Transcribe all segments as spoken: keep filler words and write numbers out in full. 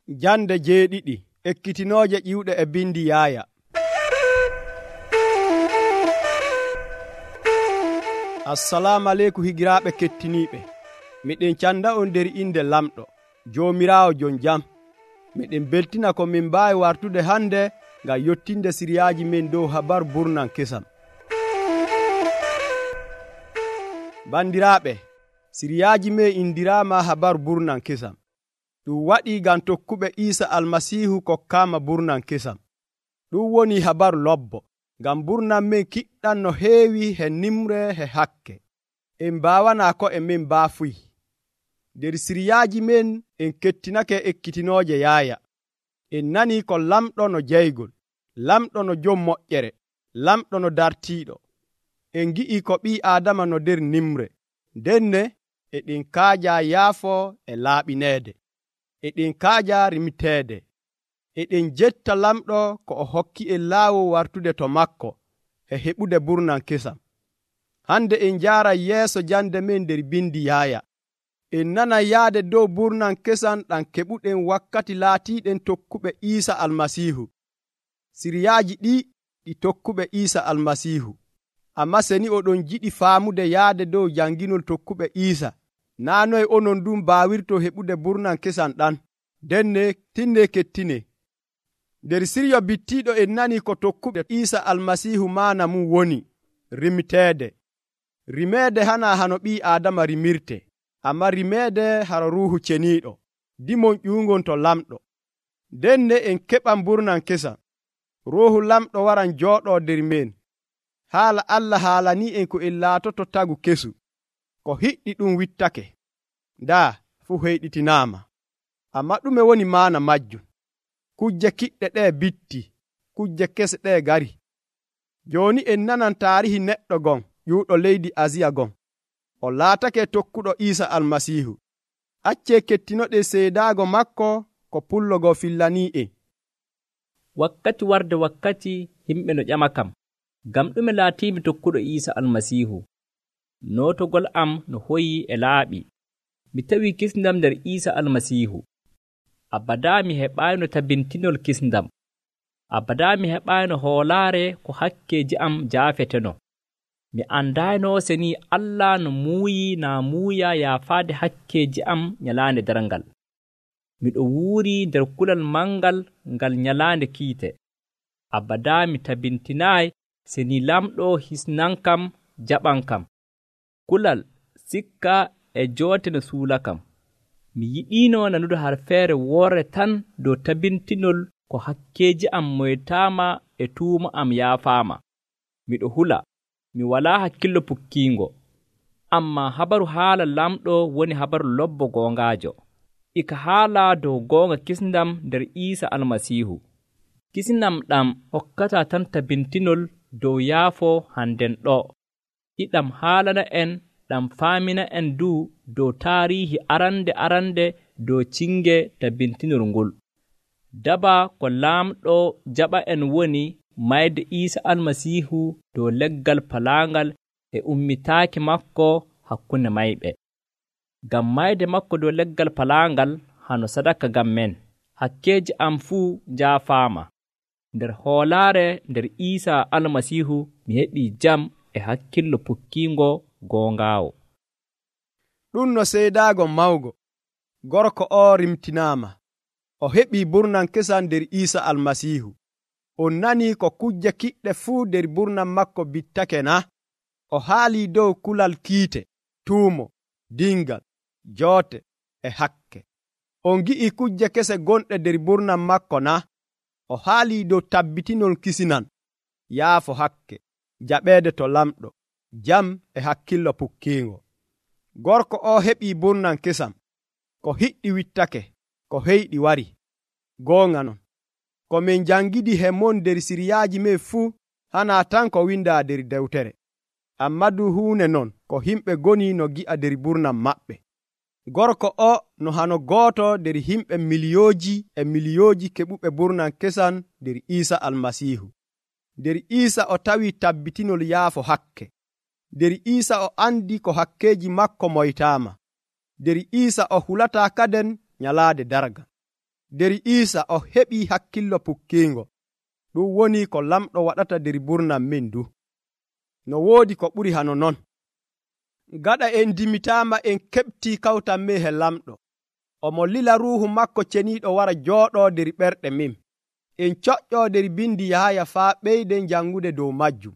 Jande jeeɗiɗi ekkitinooje ƴiwɗe e bindi Yaaya. Assalamu aleykum higiraaɓe kettiniiɓe. Miɗen canda on nder inde lamɗo Joomiraawo jon jam. Miɗen beltina ko min mbaawi wartude hande ngam yottinde siriyaaji men dow habaru burnan kesam. Bandiraaɓe, siriyaaji men indiraama habaru burnan kesam. Ɗum waɗii ngam tokkuɓe Iisa Almasiihu kokkaama burnan kesam. Ɗum woni habaru lobbo, ngam burnan men kiɗɗan no heewi he nimre he hakke. En mbaawanaa ko e men baafuy. Nder siriyaaji men en kettinake ekkitinooje Yaaya. En nanii ko lamɗo no jeygol, lamɗo no jom moƴƴere, lamɗo no dartiiɗo. En ngi'i ko ɓii Aadama no nder nimre. Ndenne eɗen kaaja yaafo e laaɓineede. Eɗen kaaja rimiteede. Eɗen jetta lamɗo ko o hokki en laawol wartude to makko e heɓude burnan kesam. Hande en njaaray yeeso jande men nder bindi Yaaya. En nanan yaade dow burnan kesam ɗam keɓuɗen wakkati laatiiɗen tokkuɓe Iisa Almasiihu. Siriyaaji ɗi ɗi tokkuɓe Iisa Almasiihu. Ammaa seni oɗon jiɗi faamude yaade dow janginol tokkuɓe Iisa, naa noye onon ɗum baawirto heɓude burnan kesam ɗan. Denne tinne kettine. Nder siryo bittiiɗo en nani ko tokkuɓe Iisa Almasiihu maana mum woni rimiteede. Rimeede hana hano ɓii Aadama rimirte, amma rimeede haro Ruuhu Ceniiɗo, dimon ƴuungon to lamɗo. Denne en keɓan burnan kesam. Ruuhu lamɗo waran jooɗoo nder men. Haala Allah haalanii en ko en laatoto tagu kesu. Ko hiɗɗi ɗum wittake. Ndaa fuu heyɗitinaama. Amma ɗume woni maana majjum? Kujje kiɗɗe ɗee bitti, kujje kese ɗee gari. Jooni en nanan taarihi neɗɗo gon ƴuuɗo leydi Asiya gon. O laatake tokkuɗo Iisa Almasiihu. Accee kettinoɗe seedaago makko ko pullogo fillanii en. Wakkati warde wakkati himɓe no ƴama kam, ngam ɗume laatiimi tokkuɗo Iisa Almasiihu. Nootogol am no hoyi e laaɓi. Mi tawi kisndam nder Iisa Almasiihu. Abadaa mi heɓaayno tabintinol kisndam. Abadaa mi heɓaayno hoolaare ko hakkeeji am jaafeteno. Mi andaayno seni Allah no muuyi naa muuya yaafaade hakkeeji am nyalaande darngal. Miɗo wuuri nder kulal mangal ngal nyalaande kiite. Abadaa mi tabintinaayi seni lamɗo hisnankam jaɓankam. Kulal sikka e joote no suulakam. Mi yiɗiino nanude harfeere woore tan dow tabintinol ko hakkeeji am moytaama e tuuma am yaafaama. Miɗo hula, mi walaa hakkillo pukkiingo. Ammaa habaru haala lamɗo woni habaru lobbo goongaajo. Ika haala dow goonga kisndam nder Iisa Almasiihu. Kisndam ɗam hokkataa tan tabintinol dow yaafo hannden ɗo. Iɗam haalana en ɗam faamina en du dow taariihi arande arande dow cinge tabintinol ngol. Daba ko laamɗo jaɓa en woni mayde Iisa Almasiihu dow leggal palaangal e ummitaaki makko hakkunde mayɓe. Ngam mayde makko dow leggal palaangal hano sadaka ngam men. Hakkeeji am fuu jaafaama. Nder hoolaare nder Iisa Almasiihu mi heɓii jam e hakkillo pukkiingo goongaawo. Ɗum no seedaago mawgo. Gorko o rimtinaama. O heɓii burnan kesam nder Iisa Almasiihu. On nanii ko kujje kiɗɗe fuu nder burnan makko bittake na? O haalii dow kulal kiite, tuumo, dingal, joote e hakke. On gi'ii kujje kese gonɗe nder burnan makko na? O haalii dow tabbitinol kisinan, yaafo hakke, jaɓeede to lamɗo, jam e hakkillo pukkiingo. Gorko o heɓii burnan kesam. Ko hiɗɗi wittake, ko heyɗi wari. Goonga non, ko min jangidi he mon nder siriyaaji men fuu hana tan ko windaa nder dewtere. Amma du huune non ko himɓe goni no gi'a nder burnan maɓɓe. Gorko o no hano gooto nder himɓe miliyooji e miliyooji keɓuɓe burnan kesam nder Iisa Almasiihu. Nder Iisa o tawi tabbitinol yaafo hakke. Nder Iisa o andi ko hakkeeji makko moytaama. Nder Iisa o hulataa kaden nyalaade darga. nder Iisa o heɓii hakkillo pukkiingo. Ɗum woni ko lamɗo waɗata nder burnam min du. No woodi ko ɓuri hano non. Gaɗa en dimitaama en keɓtii kawtal men he lamɗo. Omo lila ruuhu makko ceniiɗo wara jooɗoo nder ɓerɗe min. En coƴƴoo nder bindi Yahaya faa ɓeyden jangude dow majjum.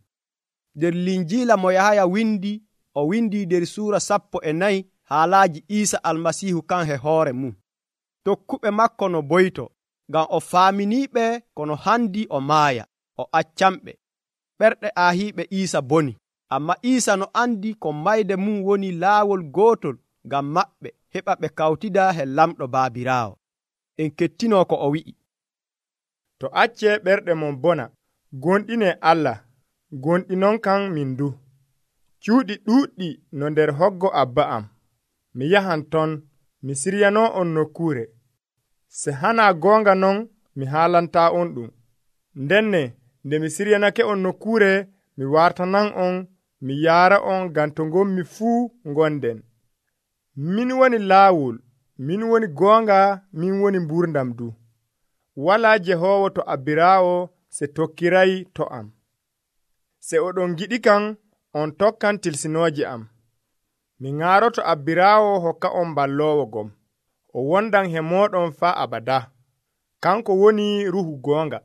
Nder linjiila mo Yahaya windi, o windi nder suura sappo e nayi haalaaji Iisa Almasiihu kan he hoore mum. Tokkuɓe makko no boyto, ngam o faaminiiɓe kono handi o maaya, o accamɓe. Ɓerɗe aahiiɓe Iisa boni, amma Iisa no andi ko mayde mum woni laawol gootol ngam maɓɓe heɓa ɓe kawtida he lamɗo Baabiraawo. En kettinoo ko o wi'i. To accee ɓerɗe mon bona, gonɗinee Allah, gonɗinon kan min du. Cuuɗi ɗuuɗɗi no nder hoggo Abba am. Mi yahan ton, mi siryanoo on nokkuure. Se hanaa goonga non, mi haalantaa on ɗum. Ndenne, nde mi siryanake on nokkuure, mi wartanan on, mi yaara on ngam to ngommi fuu ngonden. Min woni laawol, min woni goonga, min woni mburdam du. Walaa Jehoowo to Abbiraawo se tokkiray to am. Se oɗon giɗi kan, on tokkan tilsinooje am. Mi ŋaaroto Abbiraawo hokka on balloowo gom. O wondan he mooɗon faa abada. Kanko woni ruhu goonga.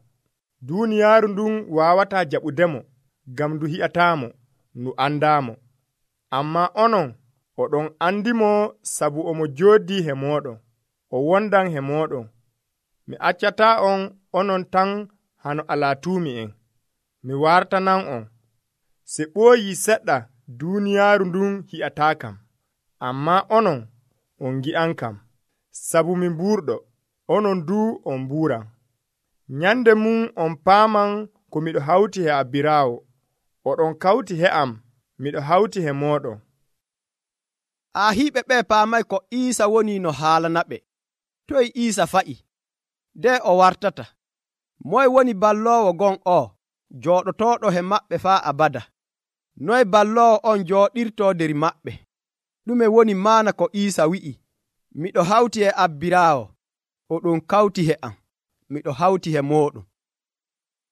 Duuniyaaru ndun waawataa jaɓudemo, ngam ndu hi'ataamo, ndu andaamo. Ammaa onon, oɗon andimo sabu omo jooɗii he mooɗon. O wondan he mooɗon. Mi accataa on onon tan hano alaatuumi'en. Mi wartanan on. Se ɓooyii seɗɗa, duuniyaaru ndun hi'ataakam. Ammaa onon, on ngi'ankam. Sabu mi mbuurɗo, onon duu on mbuuran. Nyande mum on paaman ko miɗo hawti he Abbiraawo. Oɗon kawti he am, miɗo hawti he mooɗon. Aahiiɓe ɓe paamay ko Iisa woni no haalanaɓe. Toy Iisa fa'i? Nde o wartata? Moy woni balloowo gon o, jooɗotooɗo he maɓɓe faa abada? Noy balloowo on jooɗirtoo nder maɓɓe? Ɗume woni maana ko Iisa wi'i? Miɗo hawti e Abbiraawo, oɗon kawti he am, miɗo hawti he mooɗon.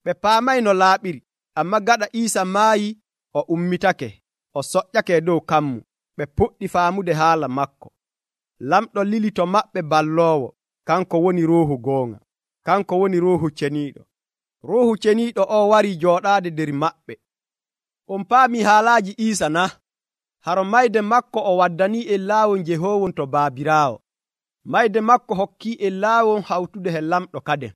Ɓe paamay no laaɓiri, amma gaɗa Iisa maayi, o ummitake, o soƴƴake dow kammu. Ɓe puɗɗi faamude haala makko. Lamɗo lili to maɓɓe balloowo, kanko woni ruuhu goonga, kanko woni ruuhu ceniiɗo. Ruuhu ceniiɗo o wari jooɗaade nder maɓɓe. On paami haalaaji Iisa na? Haro mayde makko o waddanii en laawol njehoowon to Baabiraawo. Mayde makko hokkii en laawol hawtude he lamɗo kaden.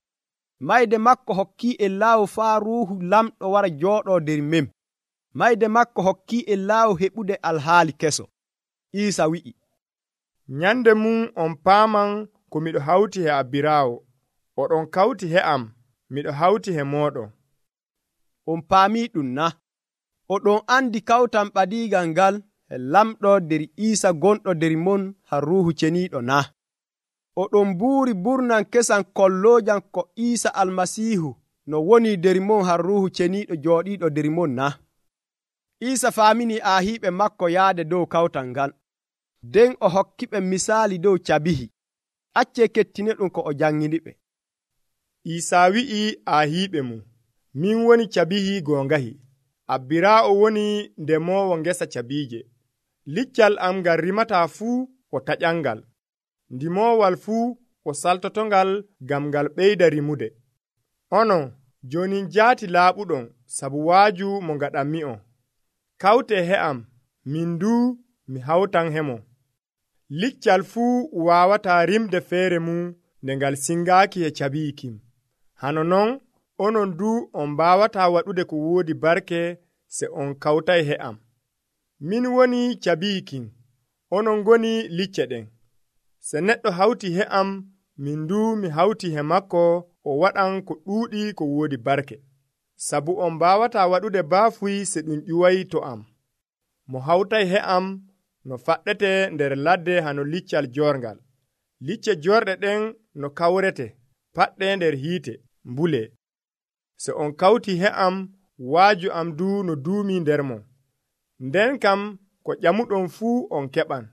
Mayde makko hokkii en laawol faa ruuhu lamɗo wara jooɗoo nder men. Mayde makko hokkii en laawol heɓude alhaali keso. Iisa wi'i, nyande mum on paaman ko miɗo hawti he Abbiraawo. Oɗon kawti he am, miɗo hawti he mooɗon. On paamii ɗum na? Oɗon andi kawtan ɓadiigal ngal e lamɗo nder Iisa gonɗo nder mon har ruuhu ceniiɗo na? Oɗon mbuuri burnan kesan kolloojam ko Iisa Almasiihu no woni nder mon har ruuhu ceniiɗo jooɗiiɗo nder mon na? Iisa faamini aahiiɓe makko yaade dow kawtal ngal. Nden o hokkiɓe misaali dow cabihi. Accee kettine ɗum ko o janŋiniɓe. Iisa wi'i aahiiɓe mum, min woni cabihi goongahi. Abbiraawo woni ndemoowo ngesa cabiije. Liccal am ngal rimataa fuu o taƴangal. Ndimoowal fuu o saltotongal ngam ngal ɓeyda rimude. Onon, jooni njaati laaɓuɗon sabu waaju mo ngaɗanmi'on. Kawtee he am, min duu mi hawtan hemo. Liccal fuu waawataa rimde feere mum nde ngal singaaki e cabiyi kim. Hano non, onon duu on mbaawataa waɗude ko woodi barke se on kawtay he am. Min woni cabiyi kim, onon ngoni licce ɗen. Se neɗɗo hawti he am, min duu mi hawti he makko, o waɗan ko ɗuuɗi ko woodi barke. Sabu on mbaawataa waɗude baafuy se ɗum ƴuway to am. Mo hawtay he am no faɗɗete nder ladde hano liccal jorngal. Licce jorɗe ɗen no kawrete, paɗɗe nder hiite, mbule. Se on kawti he am, waaju am duu no duumi nder mon. Nden kam ko ƴamuɗon fuu on keɓan.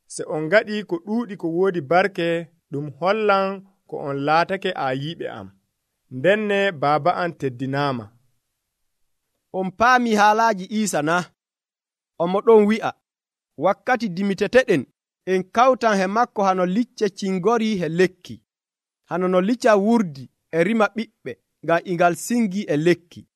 Se on ngaɗi ko ɗuuɗi ko woodi barke, ɗum hollan ko ko on laatake aayiɓe am, ndenne baaba am teddinaama. On paami haalaaji Iisa na? Omo ɗon wi'a, wakkati dimiteteɗen en kawtan he makko hano licce cingorii he lekki, hano no licca wurdi e rima ɓiɓɓe ngam ingal singii e lekki.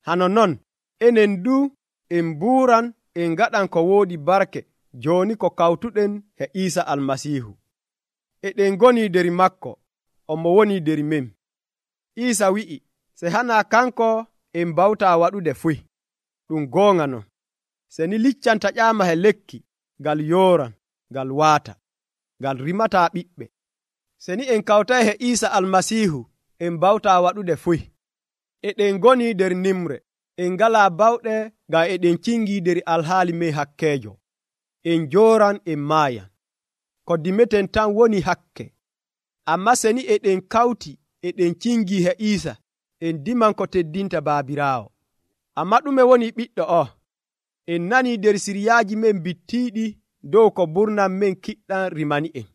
Hano non enen du en mbuuran en ngaɗan ko woodi barke jooni ko kawtuɗen he Iisa Almasiihu. Eɗen ngoni der makko, omo woni der men. Iisa wi'i, se hana kanko en mbawtaa waɗude fuy. Ɗum goonga non. Se ni liccan taƴaama he lekki, ngal yooran, ngal waata, ngal rimataa ɓiɓɓe. Se ni en kawtay he Iisa Almasiihu, en mbawtaa waɗude fuy. Eɗen ngoni der nimre, en ngalaa bawɗe ngam eɗen cingii der alhaali men hakkeejo. En jooran en maayan. Ko dimeten tan woni hakke. Amma se ni eɗen kawti eɗen cingii he Iisa, en diman ko teddinta Baabiraawo. Amma ɗume woni ɓiɗɗo o? En nanii der siryaaji men bittiiɗi dow ko burnam men kiɗɗan rimani en.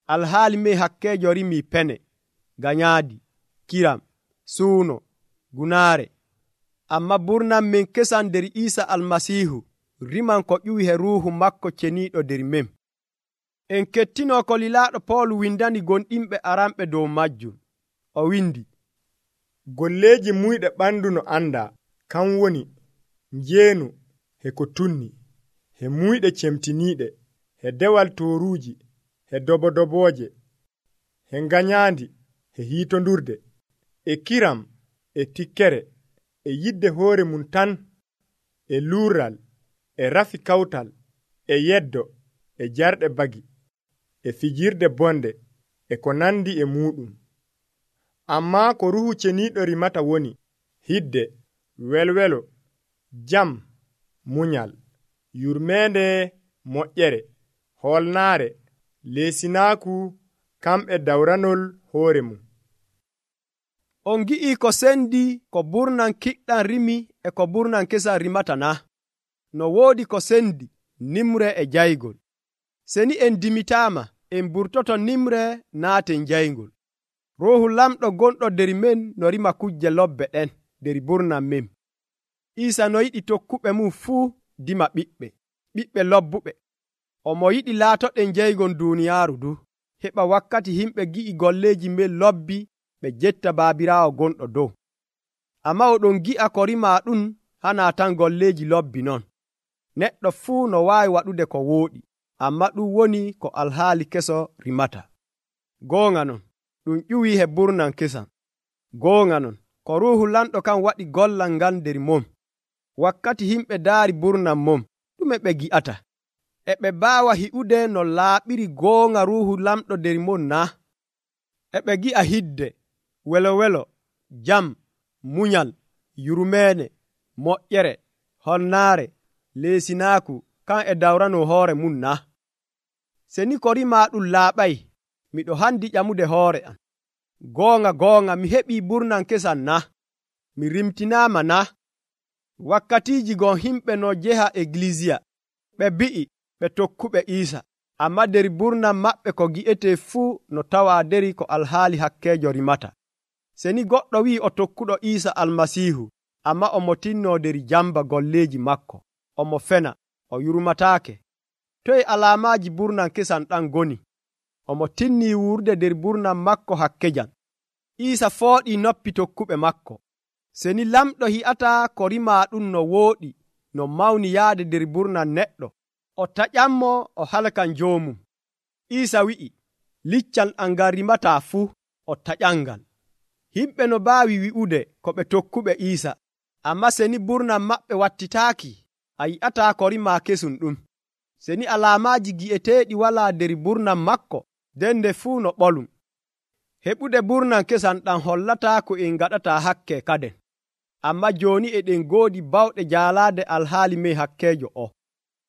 Alhaali men hakkeejo rimii pene, ganyaadi, kiram, suuno, gunaare. Amma burnam men kesan der Iisa Almasiihu riman ko ƴuwi he ruuhu makko ceniiɗo der men. En kettinoo ko lilaaɗo Pool windani gonɗinɓe aranɓe dow majjum. O windi, golleeji muyɗe ɓandu no andaa, kan woni njeenu he ko tunni, he muyɗe cemtiniiɗe, he dewal tooruuji, he dobodobooje, he nganyaandi, he hiitondurde, e kiram, e tikkere, e yidde hoore mum tan, e luural, e rafi kawtal, e yeddo, e jarɗe bagi, e fijirde bonde, e ko nandi e muɗum. Ammaa ko ruhu ceniiɗo rimata woni hidde, welwelo, jam, munyal, yurmeende, moƴƴere, hoolnaare, leesinaaku, kamɓe dawranol hoore mum. On gi'ii ko sendi ko burnan kiɗɗan rimi e ko burnan kesan rimata na? No woodi ko sendi nimre e jaygol. Se ni en dimitaama, en burtoto nimre naaten jaygol. Ruuhu lamɗo gonɗo der men no rima kujje lobbe ɗen der burnan men. Iisa no yiɗi tokkuɓe mum fuu dima ɓiɓɓe, ɓiɓɓe lobbuɓe. Omo yiɗi laatoɗen jeygon duuniyaaru du, heɓa wakkati himɓe gi'i golleeji men lobbi ɓe jetta Baabiraawo gonɗo dow. Amma oɗon gi'a ko rimaa ɗum hana tan golleeji lobbi non. Neɗɗo fuu no waawi waɗude ko wooɗi, amma ɗum woni ko alhaali keso rimata. Goonga non, ɗum ƴuwii he burnan kesan. Goonga non, ko ruuhu lamɗo kan waɗi gollal ngal nder mom. Wakkati himɓe daari burnan mom, ɗume ɓe gi'ata? E ɓe mbaawa hi'ude no laaɓiri goonga ruuhu lamɗo nder mom na? E ɓe gi'a hidde, welowelo, jam, munyal, yurmeene, moƴƴere, honnaare, leesinaaku, kan e dawrano hoore mum na? Se ni ko rimaa ɗum laaɓay, miɗo handi ƴamude hoore am. Goonga goonga mi heɓii burnan kesan na? Mi rimtinaama na? Wakkatiiji gon himɓe no jeha eglisiya, ɓe bi'i ɓe tokkuɓe Iisa, amma der burnan maɓɓe ko gi'etee fuu no tawaa deri ko alhaali hakkeejo rimata. Se ni goɗɗo wi'i o tokkuɗo Iisa Almasiihu, amma omo tinnoo der jamba golleeji makko, omo fena, o yurmataake. Toye alaamaaji burnan kesan ɗan goni? Omo tinnii wurde der burnan makko hakkejan. Iisa fooɗii noppi tokkuɓe makko. Se ni lamɗo hi'ataa ko rimaa ɗum no wooɗi, no mawni yaade der burnan neɗɗo, o taƴanmo o halkan joomum. Iisa wi'i, liccal am ngal rimataa fuu, o taƴangal. Himɓe no mbaawi wi'ude ko ɓe tokkuɓe Iisa, amma se ni burnan maɓɓe wattitaaki, a yi'ataa ko rimaa kesum ɗum. Se ni alaamaaji gi'eteeɗi walaa der burnan makko, nden nde fuu no ɓolum. Heɓude burnan kesan ɗam hollataa ko en ngaɗataa hakke kaden. Amma jooni eɗen ngoodi bawɗe jaalaade alhaali men hakkeejo o.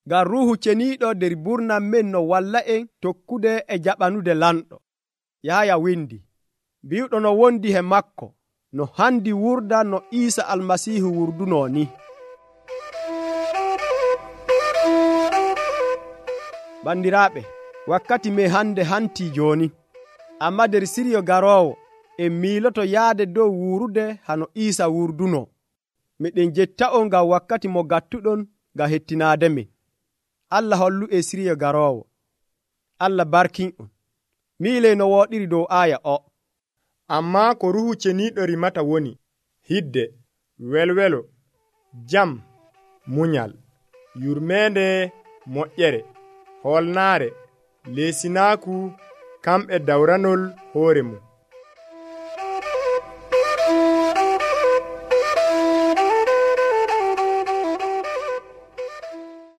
Ngam ruuhu ceniiɗo der burnan men no walla en tokkude e jaɓanude lamɗo. Yahaya windi, mbiwɗo no wondi he makko, no handi wurda no Iisa Almasiihu wurdunoo ni. Bandiraaɓe, wakkati men hande hantii jooni. amma nder siriyo garoowo en miiloto yaade dow wuurude hano Iisa wurduno. Miɗen jetta'on ngam wakkati mo gattuɗon ngam hettinaademi. Allah hollu e siriyo garoowo. Allah barkin'on. Miiley no wooɗiri dow aaya o. Ammaa ko ruhu ceniiɗo rimata woni hidde, welwelo, jam, munyal, yurmeende, moƴƴere, hoolnaare, leesinaaku, kamɓe dawranol hoore mum.